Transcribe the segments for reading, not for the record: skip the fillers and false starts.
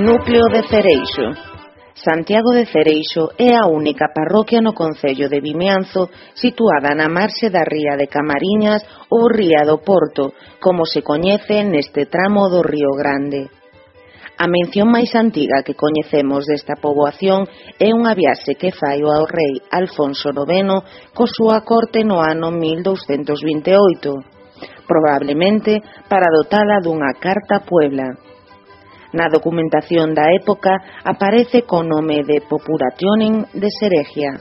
Núcleo de Cereixo. Santiago de Cereixo é a única parroquia no concello de Vimianzo situada na marxe da ría de Camariñas ou ría do Porto, como se coñece neste tramo do Río Grande. A mención máis antiga que coñecemos desta poboación é unha viaxe que fai ao rei Alfonso IX co súa corte no ano 1228, probablemente para dotala dunha carta a Puebla. Na documentación da época aparece co nome de Populationem de Seregia.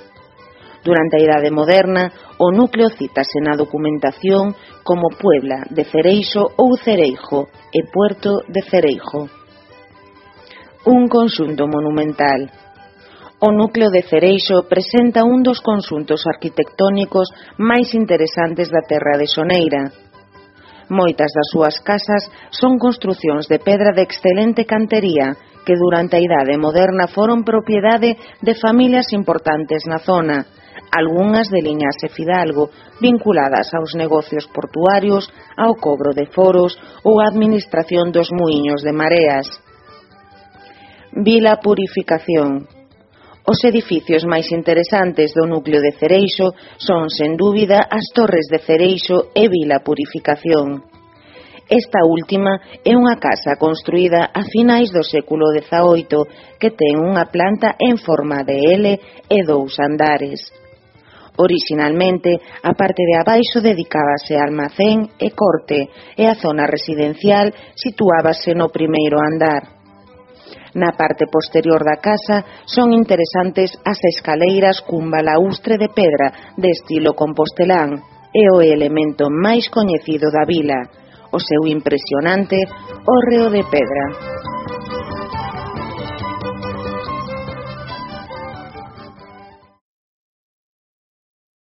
Durante a Idade Moderna, o núcleo cítase na documentación como Puebla de Cereixo ou Cereijo e Puerto de Cereijo. Un conxunto monumental. O núcleo de Cereixo presenta un dos conxuntos arquitectónicos máis interesantes da terra de Soneira. Moitas das súas casas son construcións de pedra de excelente cantería que durante a Idade Moderna foron propiedade de familias importantes na zona, algunhas de liñaxe fidalgo, vinculadas aos negocios portuarios, ao cobro de foros ou á administración dos muiños de mareas. Vila Purificación. Os edificios máis interesantes do núcleo de Cereixo son, sen dúbida, as Torres de Cereixo e Vila Purificación. Esta última é unha casa construída a finais do século XVIII que ten unha planta en forma de L e 2 andares. Orixinalmente, a parte de abaixo dedicábase a almacén e corte e a zona residencial situábase no primeiro andar. Na parte posterior da casa son interesantes as escaleiras cun balaustre de pedra de estilo compostelán e o elemento máis coñecido da vila, o seu impresionante hórreo de pedra.